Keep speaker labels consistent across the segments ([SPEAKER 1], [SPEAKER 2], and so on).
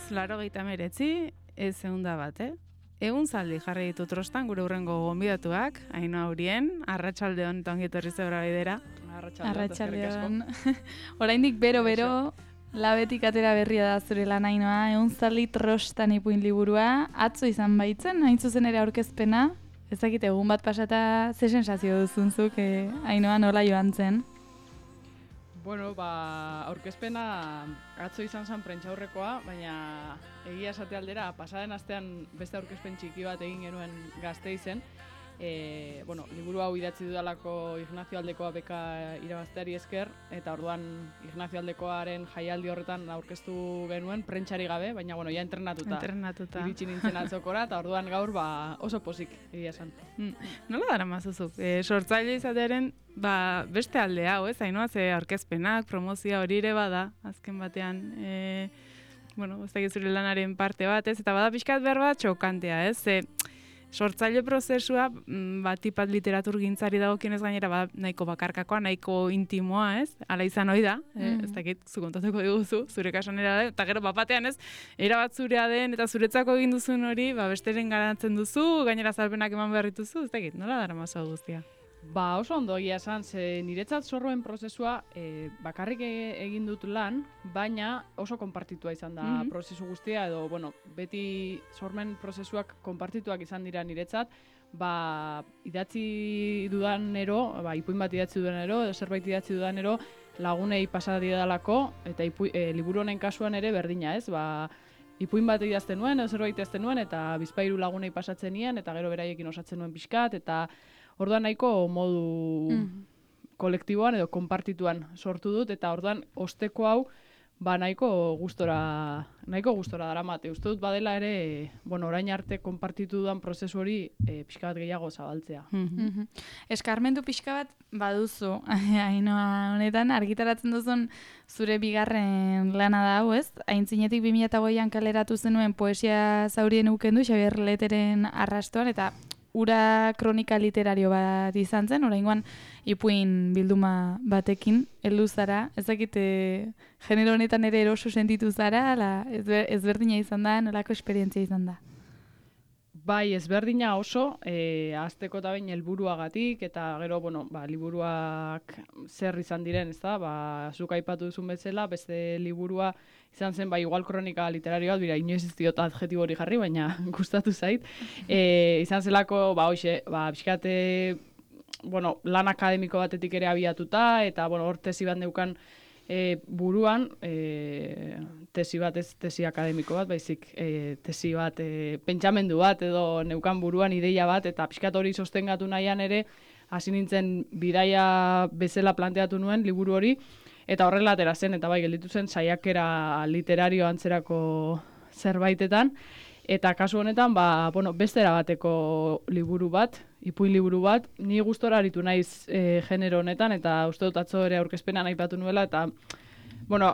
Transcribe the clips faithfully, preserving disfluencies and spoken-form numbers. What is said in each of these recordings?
[SPEAKER 1] bost, laro gehieta meretzi, ez eunda bat, eh? Egun zaldi jarri ditu trostan gure urrengo gonbidatuak, Ainhoa Urien, arratsaldeon eta ongi etorri zebra bidera.
[SPEAKER 2] Arratsaldeon. Oraindik bero-bero, labetik atera berria da zure lan Ainhoa, egun zaldi trostan ipuin liburua, atzo izan baitzen, hain zuzen ere aurkezpena, ezakit egun bat pasata ze sensazio duzunzuk, eh, Ainhoa nola joan zen?
[SPEAKER 3] Bueno, ba, aurkezpena atzo izan zen prentsaurrekoa, baina egia esate aldera, pasaden astean beste aurkezpen txiki bat egin genuen Gasteizen. E, bueno, liburu hau idatzi dudalako Ignacio Aldekoa beka irabazteari esker, eta orduan Ignacio Aldekoaren jaialdi horretan aurkeztu genuen, prentsari gabe, baina bueno, ja entrenatuta.
[SPEAKER 1] Entrenatuta.
[SPEAKER 3] Iritsi nintzen atzokora, eta orduan gaur ba, oso pozik egia esan.
[SPEAKER 1] Mm. Nola dara mazuzuk? E, sortzaile izatearen ba, beste alde hau, ez? Ainhoa, ze aurkezpenak, promozioa hori ere bada, azken batean, e, bueno, ez da zure lanaren parte bat, ez? Eta bada pixkat behar bat txokantea, ez? Ze, sortzaile prozesua, batipat literatur gintzari dagokionez gainera, ba, nahiko bakarkakoa, nahiko intimoa, ez? Hala izan ohi da, mm. eh, ez dakit, zu kontatuko diguzu, zure kasuan era da, eta gero bapatean ez, erabat zurea den, eta zuretzako egin duzun hori, ba, besteren garatzen duzu, gainera zalpenak eman behar dituzu, ez dakit, nola dara mazo guztia?
[SPEAKER 3] Ba, oso ondo egia esan, ze niretzat sorroen prozesua e, bakarrik egin dut lan, baina oso konpartitua izan da mm-hmm. prozesu guztia, edo, bueno, beti sormen prozesuak konpartituak izan dira niretzat, ba, idatzi dudanero, ba, ipuin bat idatzi dudanero, edo zerbait idatzi dudanero, lagunei pasadi dalako, eta ipu, e, liburu honen kasuan ere berdina, ez, ba, ipuin bat idazten nuen, edo zerbait idazten nuen, eta bizpahiru lagunei pasatzen nien, eta gero beraiekin osatzen nuen pixkat, eta orduan nahiko modu mm. kolektiboan edo konpartituan sortu dut, eta orduan osteko hau ba nahiko gustora nahiko gustora daramate. Uste dut badela ere, bueno, orain arte konpartitu dudan prozesu hori e, pixka bat gehiago zabaltzea.
[SPEAKER 2] Mm-hmm. Eskarmentu pixka bat baduzu, Ainhoa honetan argitaratzen duzun zure bigarren lana da hau, ez? Aintzinetik bi mila hogeian kaleratu zenuen poesia zaurien ukendu Xabier Leteren arrastoan, eta ura kronika literario bat izan zen, oraingoan ipuin bilduma batekin heldu zara. Ez dakite genero honetan ere eroso sentitu zara, ala ezberdina izan da, nolako esperientzia izan da?
[SPEAKER 3] Bai, ezberdina oso, e, azteko eta bain helburuagatik, eta gero, bueno, ba, liburuak zer izan diren, ez da, ba, zuk aipatu duzun bezala, beste liburua izan zen, ba, igual kronika literarioa, bira, inoiz ez diot adjetibo hori jarri, baina gustatu zait. E, izan zelako, ba, hoxe, ba, pixkate, bueno, lan akademiko batetik ere abiatuta, eta, bueno, hor tesi bat neukan, E, buruan, e, tesi bat ez tesi akademiko bat, baizik e, tesi bat, e, pentsamendu bat edo neukan buruan ideia bat, eta pixkat hori sostengatu nahian ere, hasi nintzen bidaia bezala planteatu nuen liburu hori, eta horrela atera zen, eta bai gelditu zen saiakera literario antzerako zerbaitetan, eta kasu honetan, ba, bueno, bestera bateko liburu bat, ipuin liburu bat, ni gustora aritu naiz e, genero honetan, eta uste dut atzo ere aurkezpenan aipatu nuela, eta, bueno,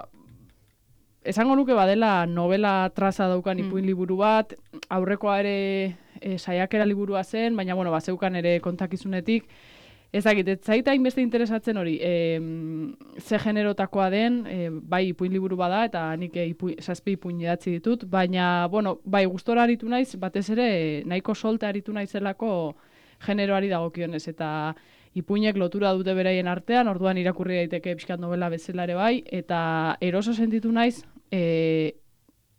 [SPEAKER 3] esango nuke badela novela traza daukan ipuin liburu bat, aurrekoa ere e, saiakera liburua zen, baina, bueno, bazeukan ere kontakizunetik, ezakit, ez zaita hainbeste interesatzen hori, e, ze generotakoa den, e, bai ipuin liburu bada, eta nik e, ipuin, zazpi ipuin idatzi ditut, baina, bueno, bai gustora aritu naiz, batez ere nahiko solte aritu naizelako generoari dagokionez, eta ipuinek lotura dute beraien artean, orduan irakurri daiteke pixkat novela bezala ere bai, eta eroso sentitu naiz, e,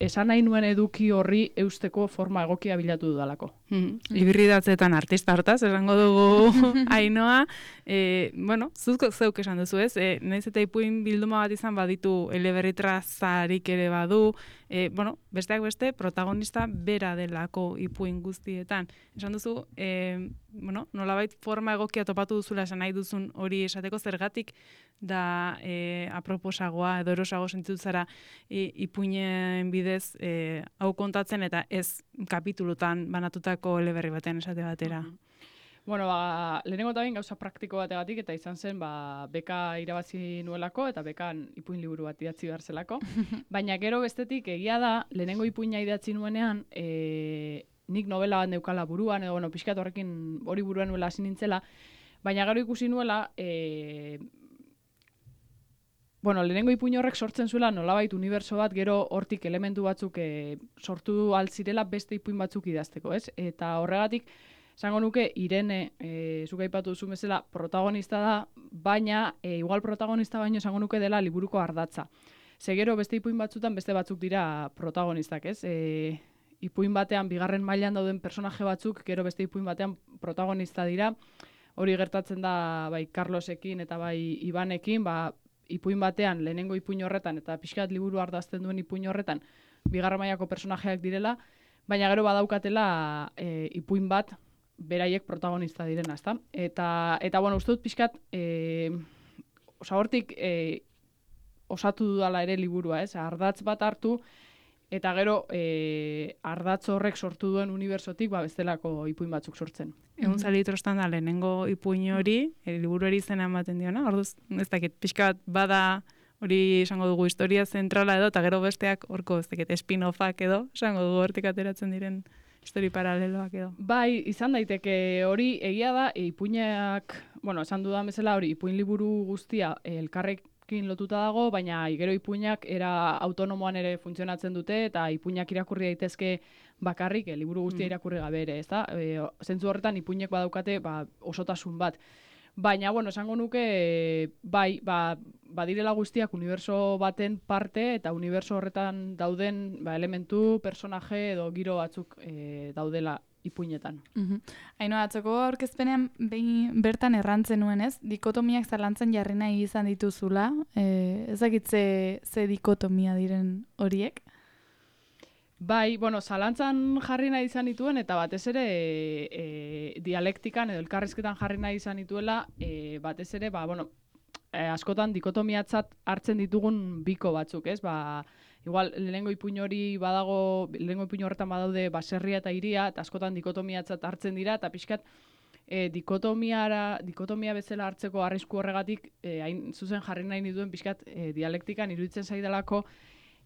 [SPEAKER 3] esan nahi nuen eduki horri eusteko forma egokia bilatu dudalako.
[SPEAKER 1] Mm-hmm. Ibirridatzeetan artista hortaz, esango dugu Ainhoa, e, bueno, zuzko zeuk esan duzu ez, e, nahiz eta ipuin bilduma bat izan baditu eleberritrazarik ere badu, e, bueno, besteak beste, protagonista bera delako ipuin guztietan. Esan duzu, e, bueno, nolabait forma egokia topatu duzula esan nahi duzun hori esateko zergatik da e, aproposagoa edo erosago sentitu zara e, ipuinen bidez e, hau kontatzen eta ez kapitulutan banatutako eleberri batean esate batera.
[SPEAKER 3] Mm-hmm. Bueno, ba, lehenengo eta bain gauza praktiko bategatik, eta izan zen, ba, beka irabazi nuelako, eta bekan ipuin liburu bat idatzi behar zelako. Baina gero bestetik, egia da, lehenengo ipuina idatzi nuenean, e, nik novela bat neukala buruan, edo, bueno, pixkat horrekin hori buruan nuela hasi nintzela, baina gero ikusi nuela, e, bueno, lehenengo ipuin horrek sortzen zuela nolabait unibertso bat, gero hortik elementu batzuk e, sortu altzirela beste ipuin batzuk idazteko, ez? Eta horregatik, esango nuke, Irene, e, zuk aipatu duzu bezala, protagonista da, baina, e, igual protagonista baino esango nuke dela liburuko ardatza. Ze gero beste ipuin batzutan beste batzuk dira protagonistak, ez? E, ipuin batean, bigarren mailan dauden personaje batzuk, gero beste ipuin batean protagonista dira. Hori gertatzen da bai Carlosekin eta bai Ibanekin, ba, ipuin batean, lehenengo ipuin horretan, eta pixkat liburu ardazten duen ipuin horretan, bigarren mailako personajeak direla, baina gero badaukatela e, ipuin bat, beraiek protagonista direna, ezta? Eta, eta bueno, uste dut pixkat, e, osa hortik e, osatu dudala ere liburua, ez? Ardatz bat hartu, eta gero e, ardatz horrek sortu duen unibertsotik, ba, bestelako ipuin batzuk sortzen.
[SPEAKER 1] Egun zalitrostan da, lehenengo ipuin hori, e, liburuari izena ematen diona, orduz, ez dakit, pixka bat bada hori esango dugu historia zentrala edo, eta gero besteak horko, ez dakit, spin-offak edo, esango dugu hortik ateratzen diren histori paraleloak edo.
[SPEAKER 3] Bai, izan daiteke hori egia da, e, ipuinak, bueno, esan dudan bezala hori, ipuin liburu guztia e, elkarrekin lotuta dago, baina gero ipuinak era autonomoan ere funtzionatzen dute, eta ipuinak irakurri daitezke bakarrik, e, liburu guztia irakurri gabe ere, ezta? E, zentzu horretan ipuinek badaukate ba, osotasun bat. Baina, bueno, esango nuke, bai, ba, badirela guztiak uniberso baten parte, eta uniberso horretan dauden ba, elementu, personaje edo giro batzuk e, daudela ipuinetan.
[SPEAKER 2] Mhm. Haino, atzoko aurkezpenean behin bertan errantzen nuen, ez? Dikotomiak zalantzen jarri nahi izan dituzula. E, ezakit ze, ze dikotomia diren horiek?
[SPEAKER 3] Bai, bueno, zalantzan jarri nahi izan dituen, eta batez ere e, e, dialektikan edo elkarrizketan jarri nahi izan dituela, e, batez ere, ba, bueno, e, askotan dikotomiatzat hartzen ditugun biko batzuk, ez? Ba, igual, lehenengo ipuin hori badago, lehenengo ipuin horretan badaude baserria eta hiria, eta askotan dikotomiatzat hartzen dira, eta pixkat, e, dikotomiara, dikotomia bezala hartzeko arrisku horregatik, e, hain zuzen jarri nahi dituen pixkat e, dialektikan iruditzen zaidalako,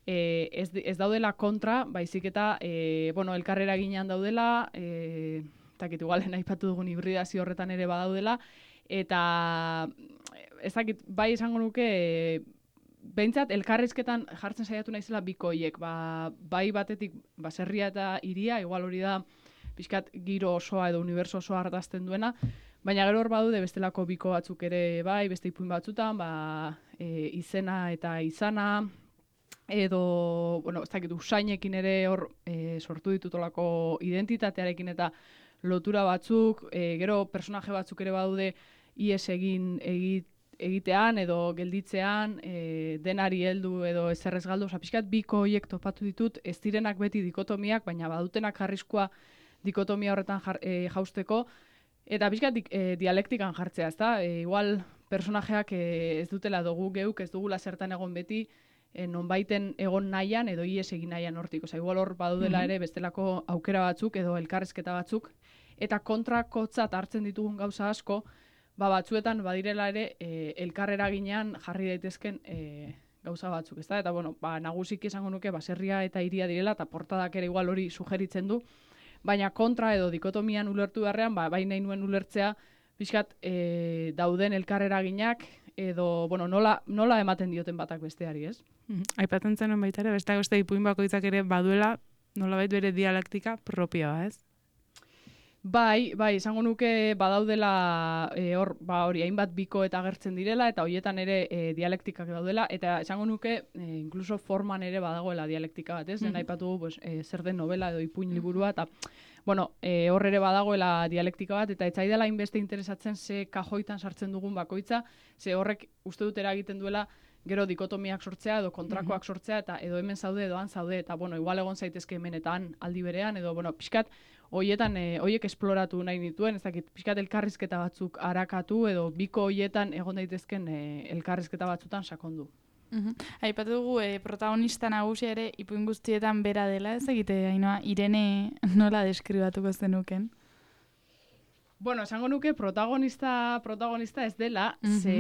[SPEAKER 3] E, ez, ez daudela kontra, baizik eta e, bueno, elkarrera ginean daudela, e, takit igualen aipatu dugun hibridazio horretan ere badaudela, eta ez dakit, bai esango nuke, e, behintzat elkarrizketan jartzen saiatu naizela bikoiek, ba, bai batetik baserria eta hiria, igual hori da pixkat giro osoa edo uniberso osoa ardazten duena, baina gero hor badude bestelako biko batzuk ere bai, beste ipuin batzutan, ba, e, izena eta izana, edo, bueno, ez dakit, usainekin ere hor e, sortu ditutolako identitatearekin eta lotura batzuk, e, gero personaje batzuk ere badude ies egin egit, egitean edo gelditzean, e, denari heldu edo ezerrez galdu, oza, pixkat biko horiek topatu ditut, ez direnak beti dikotomiak, baina badutenak jarrizkoa dikotomia horretan jar, e, jausteko, eta pixkat di, e, dialektikan jartzea, ezta? E, igual personajeak e, ez dutela dugu geuk, ez dugula zertan egon beti, E, nonbaiten egon nahian edo ies egin nahian hortik. Osa, igual hor badudela ere bestelako aukera batzuk edo elkarrezketa batzuk. Eta kontrakotzat hartzen ditugun gauza asko, ba, batzuetan badirela ere e, elkarrera ginean jarri daitezken e, gauza batzuk. Ezta? Eta bueno, ba, nagusiki esango nuke baserria eta hiria direla, eta portadak ere igual hori sugeritzen du. Baina kontra edo dikotomian ulertu beharrean, ba, bai nahi nuen ulertzea, pixkat e, dauden elkarrera ginak, edo, bueno, nola, nola ematen dioten batak besteari, ez?
[SPEAKER 1] Aipatzen zenuen baita ere, beste beste ipuin bakoitzak ere baduela nolabait bere dialektika propioa, ez?
[SPEAKER 3] Bai, bai, esango nuke badaudela e, hor, ba hori hainbat biko eta agertzen direla eta hoietan ere e, dialektikak daudela eta esango nuke e, incluso forman ere badagoela dialektika bat, ez? Mm-hmm. Den aipatu pues, e, zer den novela edo ipuin liburua eta bueno, e, hor ere badagoela dialektika bat eta etzaidala hainbeste interesatzen ze kajoitan sartzen dugun bakoitza, ze horrek uste dut eragiten duela gero dikotomiak sortzea edo kontrakoak sortzea eta edo hemen zaude edo han zaude eta bueno, igual egon zaitezke hemen eta han aldi berean edo bueno, pixkat hoietan e, hoiek esploratu nahi nituen, ez dakit, pixkat elkarrizketa batzuk arakatu edo biko hoietan egon daitezken e, elkarrizketa batzutan sakondu.
[SPEAKER 2] Uhum. Aipatu dugu e, protagonista nagusia ere ipuin guztietan bera dela, ez egite, Ainhoa, Irene nola deskribatuko zenuken?
[SPEAKER 3] Bueno, esango nuke protagonista protagonista ez dela, mm-hmm. ze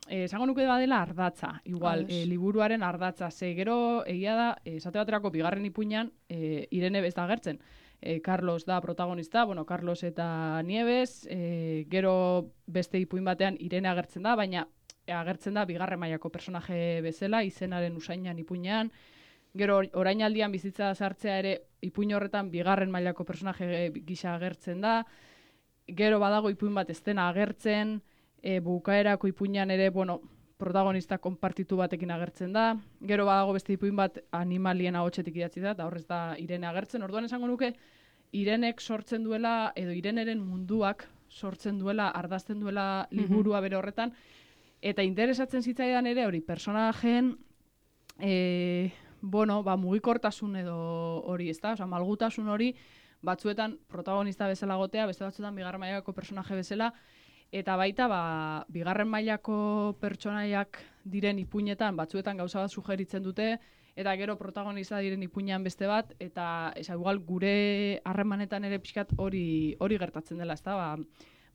[SPEAKER 3] eh, esango nuke badela ardatza, igual, eh, liburuaren ardatza, ze gero egia da, esate baterako bigarren ipuinan eh, Irene ez da agertzen. Eh, Carlos da protagonista, bueno, Carlos eta Nieves, eh, gero beste ipuin batean Irene agertzen da, baina agertzen da bigarren mailako personaje bezala, izenaren usainan ipuinean. Gero orainaldian bizitza sartzea ere ipuin horretan bigarren mailako personaje gisa agertzen da. Gero badago ipuin bat ez dena agertzen, e, bukaerako ipuinean ere, bueno, protagonista konpartitu batekin agertzen da. Gero badago beste ipuin bat animalien ahotsetik idatzi da, eta horrez da Irene agertzen. Orduan esango nuke, Irenek sortzen duela, edo Ireneren munduak sortzen duela, ardazten duela liburua bere horretan, eta interesatzen zitzaidan ere hori, personajeen, e, bueno, ba, mugikortasun edo hori, ezta? Osea, malgutasun hori, batzuetan protagonista bezala gotea, beste batzuetan bigarren mailako personaje bezala, eta baita, ba, bigarren mailako pertsonaiak diren ipuinetan, batzuetan gauza bat sugeritzen dute, eta gero protagonista diren ipuinean beste bat, eta esa, igual gure harremanetan ere pixkat hori hori gertatzen dela, ezta? Ba,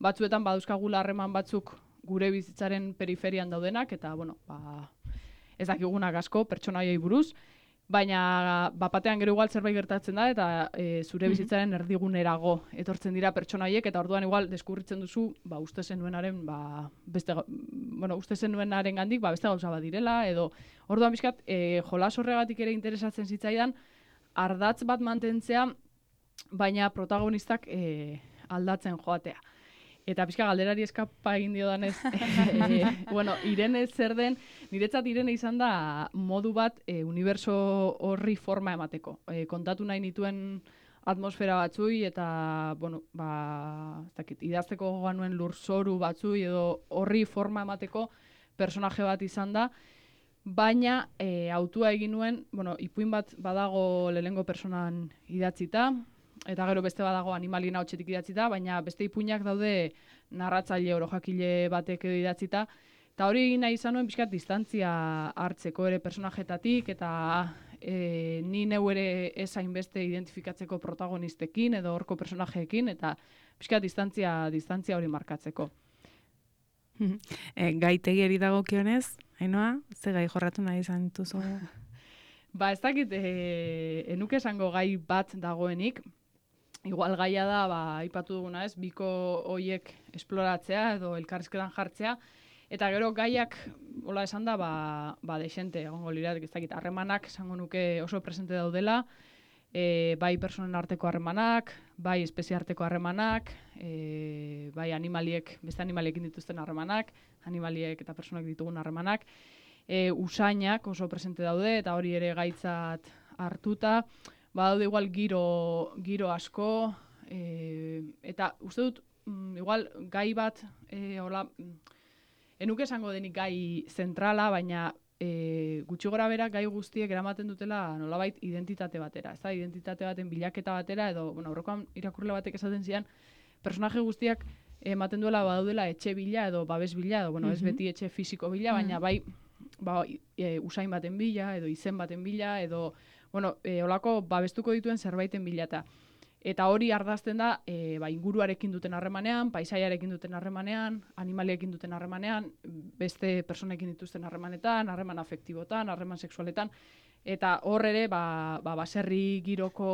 [SPEAKER 3] batzuetan baduzkagula harreman batzuk gure bizitzaren periferian daudenak, eta, bueno, ba, ez dakigunak asko pertsonaiei buruz, baina bapatean gero igual zerbait gertatzen da, eta e, zure bizitzaren erdigunerago etortzen dira pertsonaiek, eta orduan igual deskurritzen duzu, ba, uste zenuenaren, ba, beste, bueno, uste zenuenaren gandik, ba, beste gauza bat direla, edo orduan bizkat, e, jolas horregatik ere interesatzen zitzaidan, ardatz bat mantentzea, baina protagonistak e, aldatzen joatea. Eta pixka galderari eskapa egin diodanez, e, bueno, Irene zer den, niretzat Irene izan da modu bat e, uniberso horri forma emateko. E, kontatu nahi nituen atmosfera batzui eta, bueno, ba, ez dakit, idazteko gogoan nuen lurzoru batzui edo horri forma emateko personaje bat izan da, baina e, autua egin nuen, bueno, ipuin bat badago lehenengo personan idatzita, eta gero beste badago animalien ahotsetik idatzita, baina beste ipuinak daude narratzaile orojakile batek edo idatzita, eta hori egin nahi izan nuen pixkat distantzia hartzeko ere personajetatik, eta e, ni neu ere ez hainbeste identifikatzeko protagonistekin edo horko personajeekin, eta pixkat distantzia, distantzia hori markatzeko.
[SPEAKER 1] e, gaitegiari dagokionez, Ainhoa, ze gai jorratu nahi izan duzu?
[SPEAKER 3] Ba, ez dakit, e, enuke esango gai bat dagoenik. Igual gaia da, ba, aipatu duguna ez, biko hoiek esploratzea edo elkarrizketan jartzea, eta gero gaiak, hola esan da, ba, ba desente, egongo liratek, ez dakit, harremanak esango nuke oso presente daudela, e, bai personen arteko harremanak, bai espezie arteko harremanak, e, bai animaliek, beste animaliekin dituzten harremanak, animaliek eta personak ditugun harremanak, e, usainak oso presente daude, eta hori ere gaitzat hartuta, badaude igual giro, giro asko, e, eta uste dut, mm, igual gai bat, e, hola, enuke esango denik gai zentrala, baina e, gutxi gora bera gai guztiek eramaten dutela nolabait identitate batera, ez da, identitate baten bilaketa batera, edo, bueno, aurrekoan irakurle batek esaten zian, personaje guztiak ematen duela badaudela etxe bila edo babes bila, edo, bueno, ez beti etxe fisiko bila, baina bai, ba, e, usain baten bila, edo izen baten bila, edo, bueno, e, olako babestuko dituen zerbaiten bilata. Eta hori ardazten da e, ba, inguruarekin duten harremanean, paisaiarekin duten harremanean, animaliekin duten harremanean, beste personekin dituzten harremanetan, harreman afektibotan, harreman sexualetan, eta hor ere, ba, ba, baserri giroko,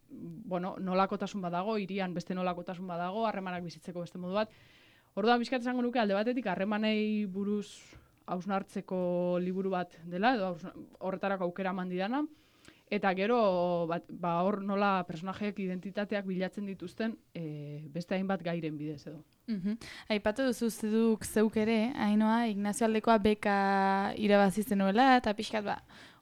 [SPEAKER 3] bueno, nolakotasun badago, hirian beste nolakotasun badago, harremanak bizitzeko beste modu bat. Orduan, bizkat esango nuke alde batetik harremanei buruz hausnartzeko liburu bat dela, edo horretarako aukera eman didana, eta gero bat, ba hor nola personajeek identitateak bilatzen dituzten e, beste hainbat gairen bidez edo.
[SPEAKER 2] Mm-hmm. Aipatu duzu zeduk zeuk ere, Ainhoa, Ignacio Aldekoa beka irabazi zenuela, eta pixkat ba,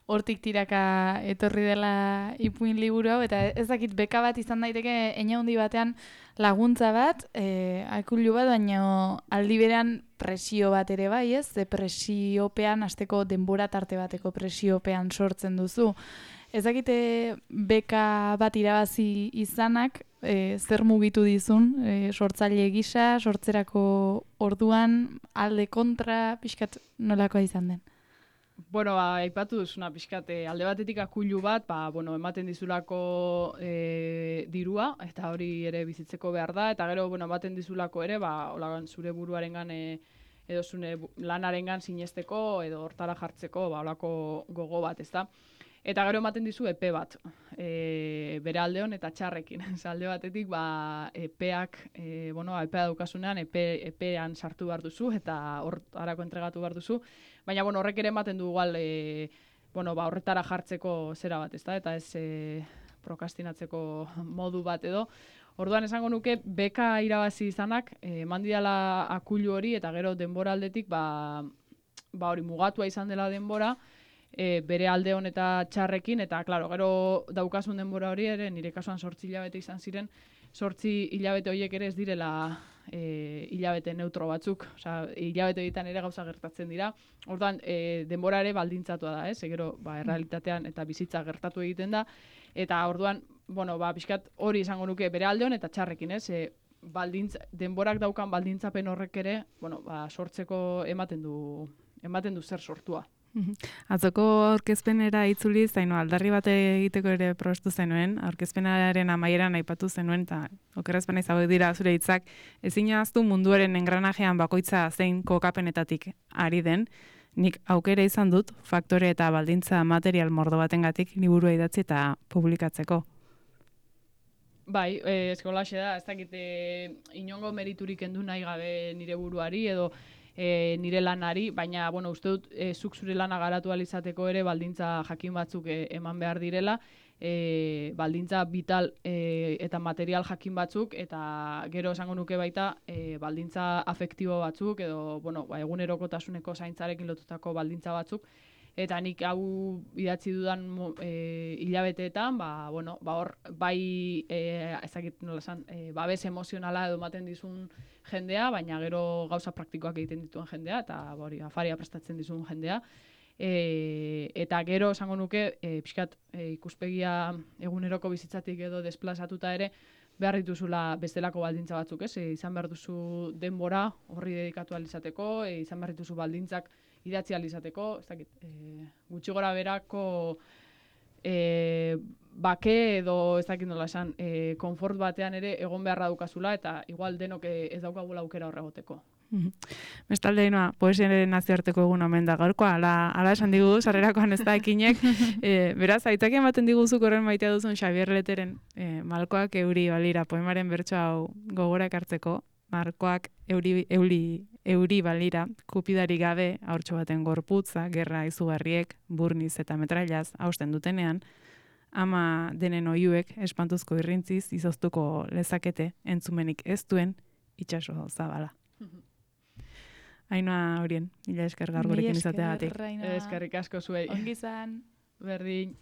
[SPEAKER 2] hortik tiraka etorri dela ipuin liburu hau, eta ez dakit beka bat izan daiteke einahundi batean laguntza bat, e, akullu bat, baina aldi berean presio bat ere bai, ez? Ze presiopean, hasteko denbora tarte bateko presiopean sortzen duzu. Ez dakite beka bat irabazi izanak, e, zer mugitu dizun, e, sortzaile gisa, sortzerako orduan, alde kontra, pixkat nolakoa izan den?
[SPEAKER 3] Bueno, ba, aipatu duzuna pixkat, alde batetik akullu bat, ba, bueno, ematen dizulako e, dirua, eta hori ere bizitzeko behar da, eta gero, bueno, ematen dizulako ere, ba, olagan zure buruarengan e, edo zure lanarengan sinesteko, edo hortara jartzeko, ba, olako gogo bat, ezta? Eta gero ematen dizu epe bat. e, bere aldeon eta txarrekin. Alde batetik, ba, epeak, e, bueno, epea daukasunean, epe, epean sartu behar duzu, eta hor harako entregatu behar duzu. Baina, bueno, horrek ere ematen du igual, e, bueno, ba, horretara jartzeko zera bat, ezta? Eta ez e, prokastinatzeko modu bat edo. Orduan esango nuke, beka irabazi izanak, e, eman didala akulu hori, eta gero denbora aldetik, ba, ba hori mugatua izan dela denbora, e, bere aldeon eta txarrekin, eta, klaro, gero daukasun denbora hori ere, nire kasuan sortzi hilabete izan ziren, sortzi hilabete horiek ere ez direla e, hilabete neutro batzuk, osea, hilabete horietan ere gauza gertatzen dira, orduan, e, denbora ere baldintzatua da, ez? Gero, ba, errealitatean eta bizitza gertatu egiten da, eta orduan, bueno, ba, pixkat hori izango nuke bere aldeon eta txarrekin, ez? E, baldintz, denborak daukan baldintzapen horrek ere, bueno, ba, sortzeko ematen du, ematen du zer sortua.
[SPEAKER 1] Atzoko aurkezpenera itzuli zaino aldarri bat egiteko ere probestu zenuen, aurkezpenaren amaieran aipatu zenuen, eta okerrezpena izabek dira zure hitzak, ezin ahaztu munduaren engranajean bakoitza zein kokapenetatik ari den, nik aukera izan dut faktore eta baldintza material mordo batengatik liburua idatzi eta publikatzeko.
[SPEAKER 3] Bai, eh, eskolaxe da, ez dakit eh, inongo meriturik endu nahi gabe nire buruari edo e, nire lanari, baina, bueno, uste dut e, zuk zure lana garatu alizateko ere baldintza jakin batzuk e, eman behar direla, e, baldintza vital e, eta material jakin batzuk, eta gero esango nuke baita e, baldintza afektibo batzuk, edo, bueno, ba, egunerokotasuneko zaintzarekin lotutako baldintza batzuk, eta nik hau idatzi dudan e, hilabeteetan, ba, bueno, ba hor, bai, e, ezakit nola esan, e, babes emozionala edo ematen dizun jendea, baina gero gauza praktikoak egiten dituen jendea, eta hori, afaria prestatzen dizun jendea. E, eta gero esango nuke, e, pixkat, e, ikuspegia eguneroko bizitzatik edo desplazatuta ere, behar dituzula bestelako baldintza batzuk, ez? E, izan behar duzu denbora horri dedikatu alizateko, e, izan behar dituzu baldintzak idatzi alizateko, ez dakit, e, gutxi gora berako e, bake edo ez dakit nola esan, e, konfort batean ere egon beharra dukazula, eta igual denok ez daukagula aukera horregoteko.
[SPEAKER 1] Bestalde, inoa, poesiaren nazioarteko egun omen da gaurkoa, ala, ala esan digu, sarrerakoan ez da ekinek. E, beraz, aitzak ematen diguzuk horren maitea duzun Xabier Leteren e, Malkoak euri balira poemaren bertso hau gogora ekartzeko, Markoak euri, euri, euri balira, kupidari gabe, haurtxo baten gorputza, gerra izugarriek, burniz eta metrailaz hausten dutenean, ama denen oiuek espantuzko irrintziz izoztuko lezakete entzumenik ez duen itxaso zabala. Ainoa horien, mila esker gaur gurekin izateagatik.
[SPEAKER 3] Eskerrik asko zuei.
[SPEAKER 2] Ongi izan.
[SPEAKER 3] Berdin.